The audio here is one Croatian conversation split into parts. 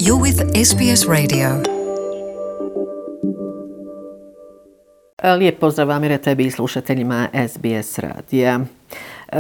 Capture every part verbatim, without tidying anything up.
You're with S B S Radio. Lijep pozdrav Amire tebi i slušateljima S B S radija.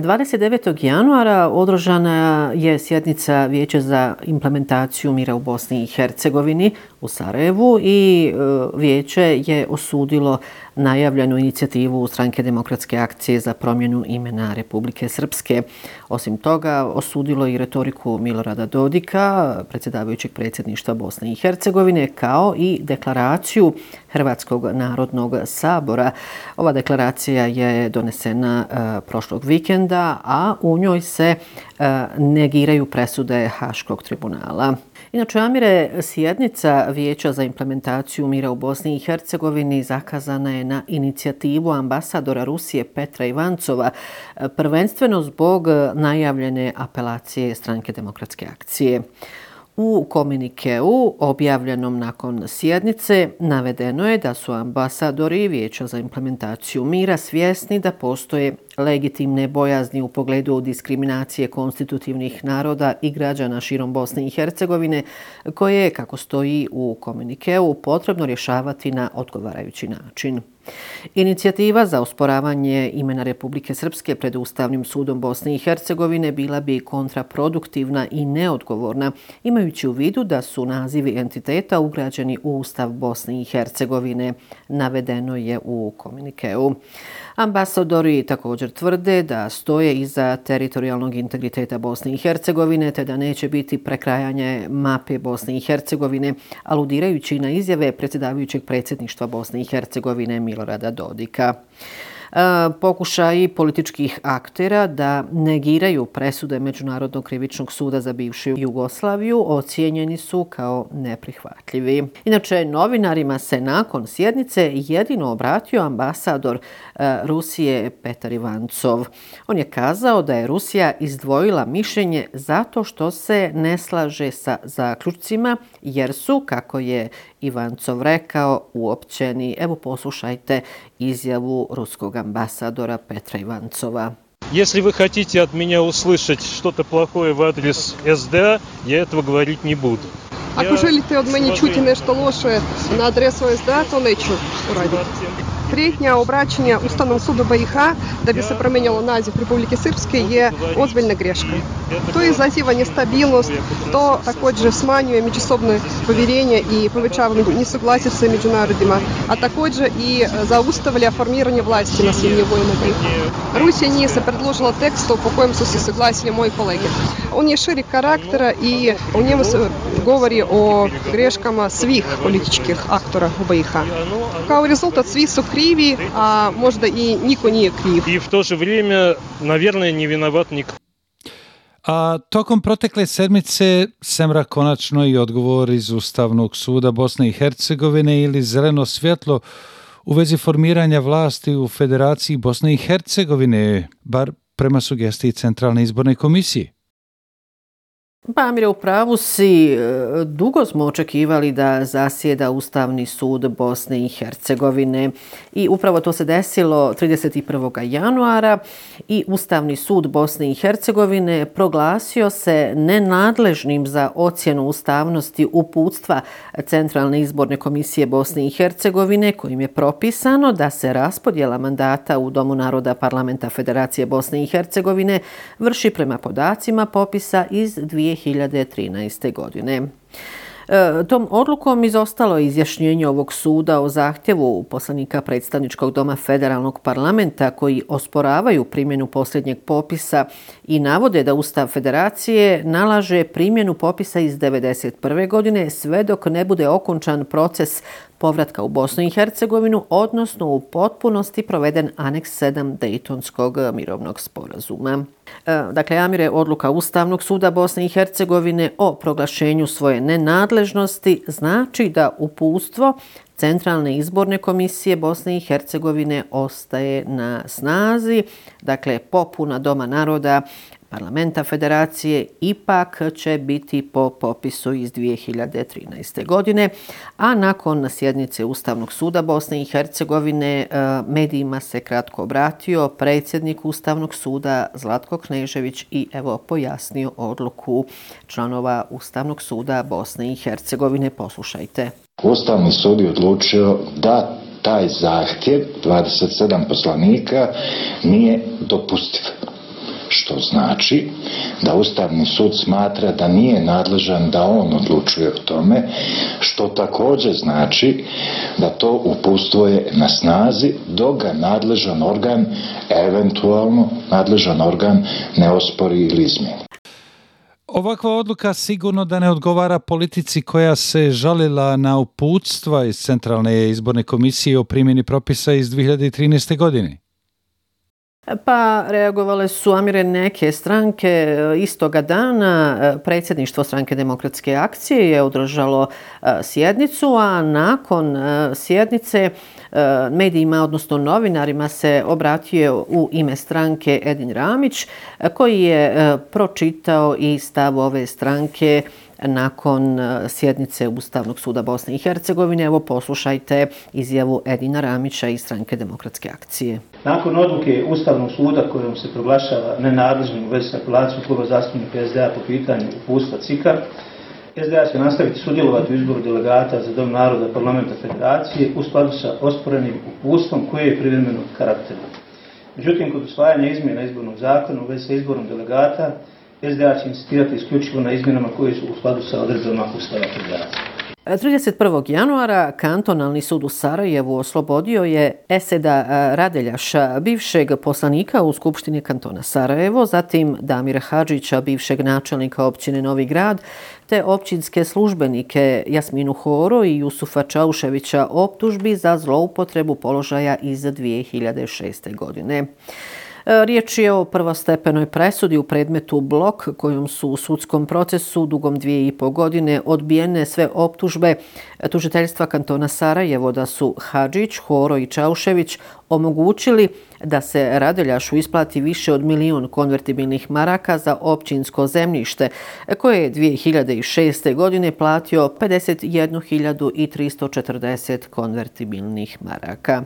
dvadeset devetog januara održana je sjednica Vijeća za implementaciju mira u Bosni i Hercegovini u Sarajevu i vijeće je osudilo najavljenu inicijativu Stranke demokratske akcije za promjenu imena Republike Srpske. Osim toga, osudilo i retoriku Milorada Dodika, predsjedavajućeg predsjedništva Bosne i Hercegovine, kao i deklaraciju Hrvatskog narodnog sabora. Ova deklaracija je donesena uh, prošlog vikenda, a u njoj se uh, negiraju presude Haškog tribunala. Inače, Amire, sjednica Vijeća za implementaciju mira u Bosni i Hercegovini zakazana je na inicijativu ambasadora Rusije Petra Ivancova, prvenstveno zbog najavljene apelacije Stranke demokratske akcije. U komunikeu objavljenom nakon sjednice navedeno je da su ambasadori Vijeća za implementaciju mira svjesni da postoje legitimne bojazni u pogledu diskriminacije konstitutivnih naroda i građana širom Bosne i Hercegovine, koje je, kako stoji u komunikeu, potrebno rješavati na odgovarajući način. Inicijativa za osporavanje imena Republike Srpske pred Ustavnim sudom Bosne i Hercegovine bila bi kontraproduktivna i neodgovorna, imajući u vidu da su nazivi entiteta ugrađeni u Ustav Bosne i Hercegovine, navedeno je u komunikeu. Ambasadori također tvrde da stoje iza teritorijalnog integriteta Bosne i Hercegovine, te da neće biti prekrajanje mape Bosne i Hercegovine, aludirajući na izjave predsjedavajućeg predsjedništva Bosne i Hercegovine Milorada Dodika. Pokušaji političkih aktera da negiraju presude Međunarodnog krivičnog suda za bivšu Jugoslaviju ocijenjeni su kao neprihvatljivi. Inače, novinarima se nakon sjednice jedino obratio ambasador Rusije Petar Ivancov. On je kazao da je Rusija izdvojila mišljenje zato što se ne slaže sa zaključcima, jer su, kako je Ivancov rekao, uopćeni. Evo, poslušajte izjavu ruskog ambasadora Petra Иванцова. Если вы хотите от меня услышать что-то плохое в адрес эс дэ а, я этого говорить не буду. Ако želite od mene čuti nešto loše na adresu es de a, to neću uraditi. Prijetnja obraćanja Ustavnom sudu be i ha da bi se promijenilo naziv Republike Srpske je ozbiljna greška. To izaziva nestabilnost, to također smanjuje međusobno povjerenje i povećava nesuglasice među narodima, a također i zaustavlja formiranje vlasti na svim nivoima be i ha. Rusija nije se predložila tekstu po kojem su se saglasili moji kolege. On je širi karaktera i u njemu se govori o greškama svih političkih aktora u be i ha. Kao rezultat svi su krivi, a možda i niko nije kriv. I v to же время, наверное, не виноват никто. A tokom protekle sedmice semra konačno i odgovor iz Ustavnog suda Bosne i Hercegovine ili zeleno svjetlo u vezi formiranja vlasti u Federaciji Bosne i Hercegovine, bar prema sugestiji Centralne izborne komisije. Pa, Amire, u pravu si. Dugo smo očekivali da zasjeda Ustavni sud Bosne i Hercegovine i upravo to se desilo trideset prvog januara i Ustavni sud Bosne i Hercegovine proglasio se nenadležnim za ocjenu ustavnosti uputstva Centralne izborne komisije Bosne i Hercegovine, kojim je propisano da se raspodjela mandata u Domu naroda Parlamenta Federacije Bosne i Hercegovine vrši prema podacima popisa iz dvije hiljade trinaeste. godine. E, tom odlukom izostalo je izjašnjenje ovog suda o zahtjevu poslanika predstavničkog doma Federalnog parlamenta koji osporavaju primjenu posljednjeg popisa i navode da Ustav Federacije nalaže primjenu popisa iz devedeset prve. godine sve dok ne bude okončan proces povratka u Bosnu i Hercegovinu, odnosno u potpunosti proveden aneks sedam Dejtonskog mirovnog sporazuma. E, dakle, Amire, odluka Ustavnog suda Bosne i Hercegovine o proglašenju svoje nenadležnosti znači da uputstvo Centralne izborne komisije Bosne i Hercegovine ostaje na snazi. Dakle, popuna Doma naroda parlamenta federacije ipak će biti po popisu iz dvije hiljade trinaeste. godine, a nakon sjednice Ustavnog suda Bosne i Hercegovine medijima se kratko obratio predsjednik Ustavnog suda Zlatko Knežević i evo pojasnio odluku članova Ustavnog suda Bosne i Hercegovine. Poslušajte. Ustavni sud je odlučio da taj zahtjev dvadeset sedam poslanika nije dopustiv. Što znači da Ustavni sud smatra da nije nadležan da on odlučuje o tome, što također znači da to uputstvo je na snazi dok ga nadležan organ, eventualno nadležan organ, ne ospori ili izmijeni. Ovakva odluka sigurno da ne odgovara politici koja se žalila na uputstva iz Centralne izborne komisije o primjeni propisa iz dvije hiljade trinaeste. godine. Pa reagovale su, Amire, neke stranke. Istoga dana predsjedništvo Stranke demokratske akcije je održalo sjednicu, a nakon sjednice medijima, odnosno novinarima, se obratio u ime stranke Edin Ramić, koji je pročitao i stav ove stranke nakon sjednice Ustavnog suda Bosne i Hercegovine. Evo poslušajte izjavu Edina Ramića iz Stranke demokratske akcije. Nakon odluke Ustavnog suda kojom se proglašava nenadležnim u vezi s apelacijom kluba zastupnika es de a po pitanju uputstva C I K-a, es de a će nastaviti sudjelovati u izboru delegata za Dom naroda parlamenta federacije u skladu sa osporenim uputstvom koje je privremenog karaktera. Međutim, kod usvajanja izmjena izbornog zakona u vezi sa izborom delegata, es de a će insistirati isključivo na izmjenama koje su u skladu sa odredbama Ustava federacije. trideset prvog januara Kantonalni sud u Sarajevu oslobodio je Eseda Radeljaša, bivšeg poslanika u Skupštini kantona Sarajevo, zatim Damira Hadžića, bivšeg načelnika općine Novi Grad, te općinske službenike Jasminu Horo i Jusufa Čauševića optužbi za zloupotrebu položaja iz dvije hiljade šeste. godine. Riječ je o prvostepenoj presudi u predmetu Blok, kojom su u sudskom procesu dugom dvije i po godine odbijene sve optužbe tužiteljstva kantona Sarajevo da su Hadžić, Horo i Čaušević omogućili da se Radeljašu isplati više od milion konvertibilnih maraka za općinsko zemljište, koje je dvije hiljade šeste. godine platio pedeset jednu hiljadu tristo četrdeset konvertibilnih maraka.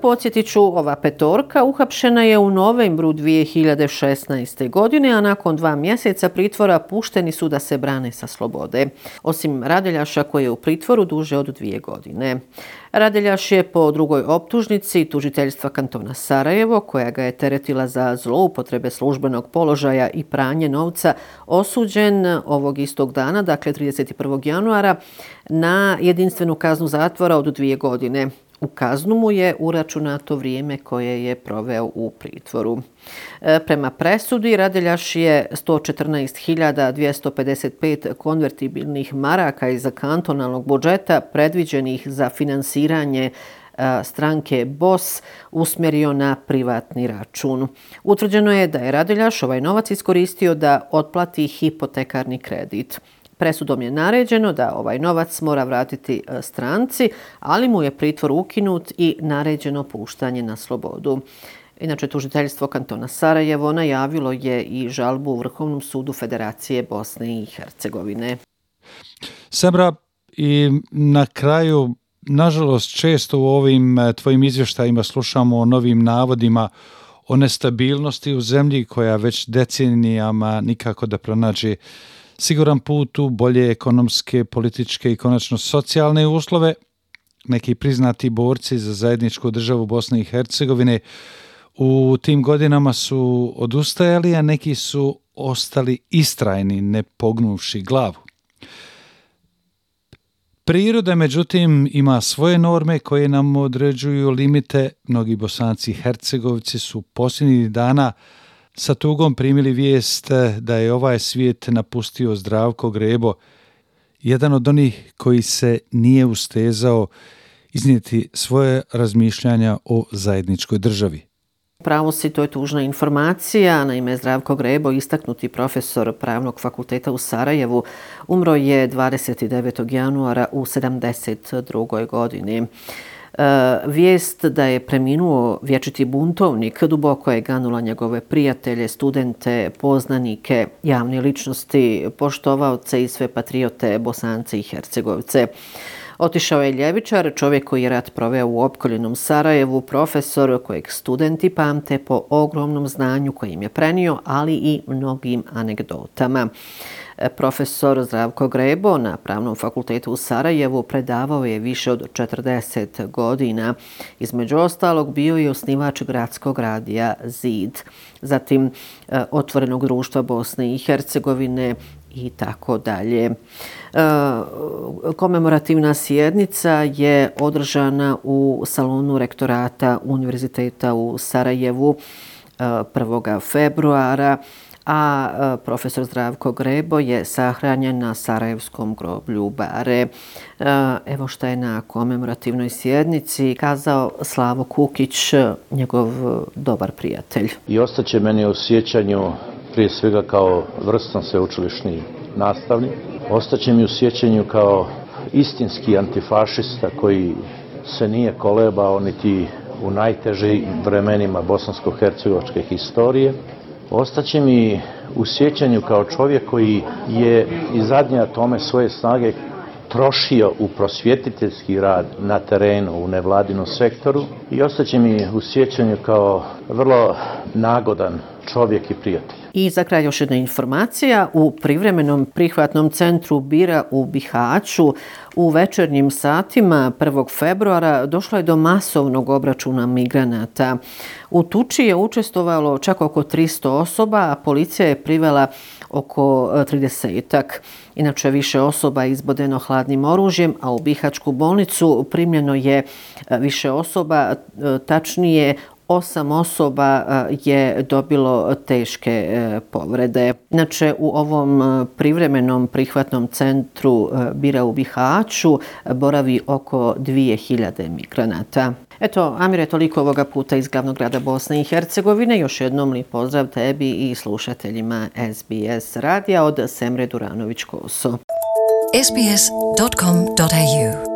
Podsjetit ću, ova petorka uhapšena je u novembru dvije hiljade šesnaeste. godine, a nakon dva mjeseca pritvora pušteni su da se brane sa slobode. Osim Radeljaša koji je u pritvoru duže od dvije godine. Radeljaš je po drugoj optužnici tužiteljstva kantona Sarajevo, koja ga je teretila za zloupotrebe službenog položaja i pranje novca, osuđen ovog istog dana, dakle trideset prvog januara, na jedinstvenu kaznu zatvora od dvije godine. U kaznu mu je uračunato vrijeme koje je proveo u pritvoru. Prema presudi, Radeljaš je sto četrnaest hiljada dvjesto pedeset pet konvertibilnih maraka iz kantonalnog budžeta predviđenih za finansiranje stranke B O S usmjerio na privatni račun. Utvrđeno je da je Radeljaš ovaj novac iskoristio da otplati hipotekarni kredit. Presudom je naređeno da ovaj novac mora vratiti stranci, ali mu je pritvor ukinut i naređeno puštanje na slobodu. Inače, tužiteljstvo kantona Sarajevo najavilo je i žalbu u Vrhovnom sudu Federacije Bosne i Hercegovine. Semra, i na kraju, nažalost, često u ovim tvojim izvještajima slušamo o novim navodima o nestabilnosti u zemlji koja već decenijama nikako da pronađe siguran put u bolje ekonomske, političke i konačno socijalne uslove. Neki priznati borci za zajedničku državu Bosne i Hercegovine u tim godinama su odustajali, a neki su ostali istrajni, ne pognuvši glavu. Priroda, međutim, ima svoje norme koje nam određuju limite. Mnogi Bosanci i Hercegovci su posljednjih dana sa tugom primili vijest da je ovaj svijet napustio Zdravko Grebo, jedan od onih koji se nije ustezao iznijeti svoje razmišljanja o zajedničkoj državi. Pravo si, to je tužna informacija. Naime, Zdravko Grebo, istaknuti profesor Pravnog fakulteta u Sarajevu, umro je dvadeset devetog januara u sedamdeset drugoj. godini. Vijest da je preminuo vječiti buntovnik duboko je ganula njegove prijatelje, studente, poznanike, javne ličnosti, poštovaoce i sve patriote Bosance i Hercegovce. Otišao je ljevičar, čovjek koji je rat proveo u opkoljenom Sarajevu, profesor kojeg studenti pamte po ogromnom znanju kojim je prenio, ali i mnogim anegdotama. Profesor Zdravko Grebo na Pravnom fakultetu u Sarajevu predavao je više od četrdeset godina. Između ostalog bio je osnivač gradskog radija Zid, zatim Otvorenog društva Bosne i Hercegovine i tako dalje. Komemorativna sjednica je održana u salonu rektorata Univerziteta u Sarajevu prvog februara, a profesor Zdravko Grebo je sahranjen na Sarajevskom groblju Bare. Evo šta je na komemorativnoj sjednici kazao Slavo Kukić, njegov dobar prijatelj. I ostaće meni u sjećanju prije svega kao vrstan sveučilišni nastavnik. Ostaće mi u sjećanju kao istinski antifašista koji se nije kolebao niti u najtežim vremenima bosansko-hercegovačke historije. Ostaće mi u sjećanju kao čovjek koji je i zadnje atome svoje snage trošio u prosvjetiteljski rad na terenu, u nevladinom sektoru, i ostaće mi u sjećanju kao vrlo nagodan čovjek i prijatelj. I za kraj još jedna informacija. U privremenom prihvatnom centru Bira u Bihaću u večernjim satima prvog februara došlo je do masovnog obračuna migranata. U tuči je učestvovalo čak oko tristo osoba, a policija je privela oko tridesetak. Inače, više osoba je izbodeno hladnim oružjem, a u Bihaćku bolnicu primljeno je više osoba, tačnije Osam osoba je dobilo teške povrede. Inače, u ovom privremenom prihvatnom centru Bira u Bihaću boravi oko dvije hiljade migranata. Eto, Amire, toliko ovoga puta iz glavnog grada Bosne i Hercegovine. Još jednom lijep pozdrav tebi i slušateljima S B S radija od Semre Duranović-Koso. S B S dot com dot A U